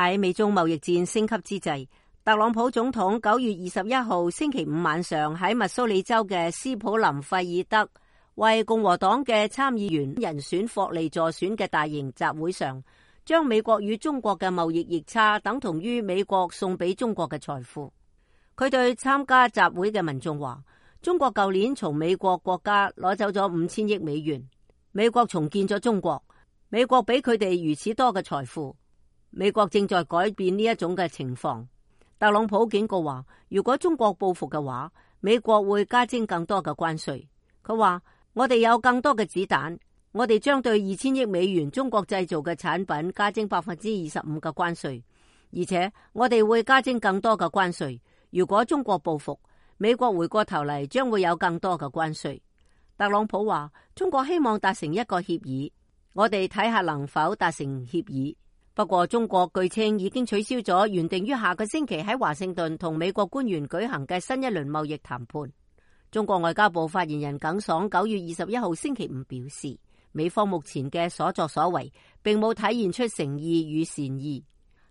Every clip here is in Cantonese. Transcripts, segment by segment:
喺美中貿易戰升級之際，特朗普總統9月21號星期五晚上喺密蘇里州嘅斯普林費爾德為共和黨嘅參議員人選霍利助選嘅大型集會上，將美國與中國嘅貿易逆差等同於美國送俾中國嘅財富。佢對參加集會嘅民眾話，中國舊年從美國國家攞走咗5000億美元，美國重建咗中國，美國俾佢哋如此多嘅財富，美國正在改變呢一種嘅情況。特朗普警告話，如果中國報復嘅話，美國會加徵更多嘅關稅。佢話，我哋有更多嘅子彈，我哋將對2000億美元中國製造嘅產品加徵25%嘅關稅，而且我哋會加徵更多嘅關稅。如果中國報復，美國回過頭嚟將會有更多嘅關稅。特朗普話，中國希望達成一個協議，我哋睇下能否達成協議。不過中國據稱已經取消咗原定於下個星期喺華盛頓同美國官員舉行嘅新一輪貿易談判。中國外交部發言人耿爽9月21號星期五表示，美方目前嘅所作所為並冇體現出誠意與善意。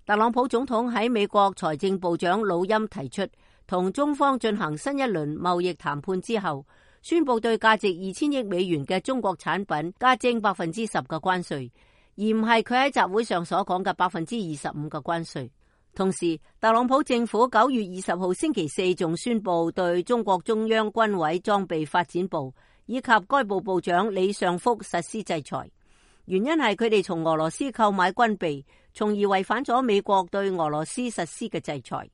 特朗普總統喺美國財政部長魯欽提出同中方進行新一輪貿易談判之後，宣布對價值2000億美元嘅中國產品加徵10%嘅關稅，而唔係佢喺集會上所講嘅25%嘅關稅。同時，特朗普政府9月20號星期四仲宣布對中國中央軍委裝備發展部以及該部部長李尚福實施制裁，原因係佢哋從俄羅斯購買軍備，從而違反咗美國對俄羅斯實施嘅制裁。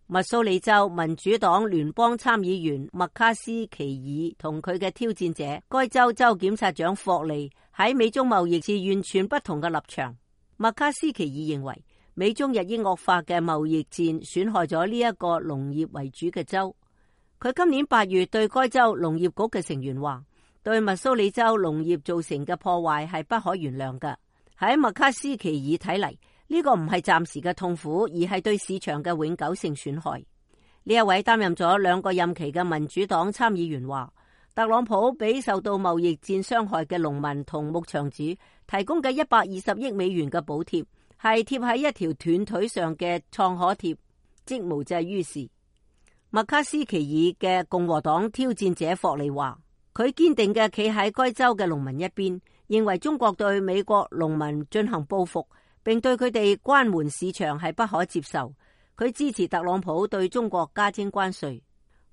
密蘇里州民主黨聯邦參議員麥卡斯奇爾同佢嘅挑戰者該州州檢察長霍利喺美中貿易持完全不同嘅立場。麥卡斯奇爾認為，美中日益惡化嘅貿易戰損害咗呢一個農業為主嘅州。佢今年8月對該州農業局嘅成員話，對密蘇里州農業造成嘅破壞係不可原諒嘅。喺麥卡斯奇爾睇嚟，呢個唔係暫時嘅痛苦，而係對市場嘅永久性損害。呢一位擔任咗2個任期嘅民主黨參議員話，特朗普俾受到貿易戰傷害嘅農民同牧場主提供嘅120億美元嘅補貼，係貼喺一條斷腿上嘅創可貼，即無濟於事。麥卡斯奇爾嘅共和黨挑戰者霍利話，佢堅定嘅企喺該州嘅農民一邊，認為中國對美國農民進行報復，並對佢哋關門市場係不可接受。佢支持特朗普對中國加徵關稅。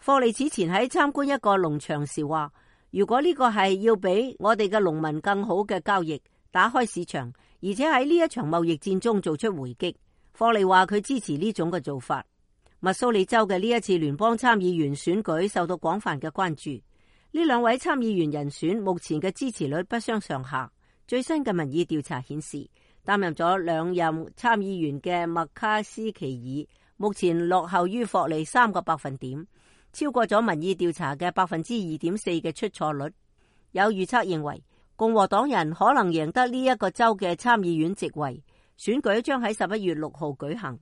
霍利此前喺參觀一個農場時話，如果呢個係要俾我哋嘅農民更好嘅交易，打開市場，而且喺呢一場貿易戰中做出回擊，霍利話佢支持呢種嘅做法。密蘇里州嘅呢一次聯邦參議員選舉受到廣泛嘅關注。呢2位參議員人選目前嘅支持率不相上下。最新嘅民意調查顯示，擔任咗2任參議員嘅麥卡斯奇爾目前落後於霍利3個百分點，超過咗民意調查嘅2.4%嘅出錯率。有預測認為，共和黨人可能贏得呢一個州嘅參議院席位。選舉將喺11月6號舉行。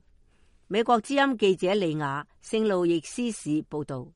美國之音記者李雅聖路易斯市報道。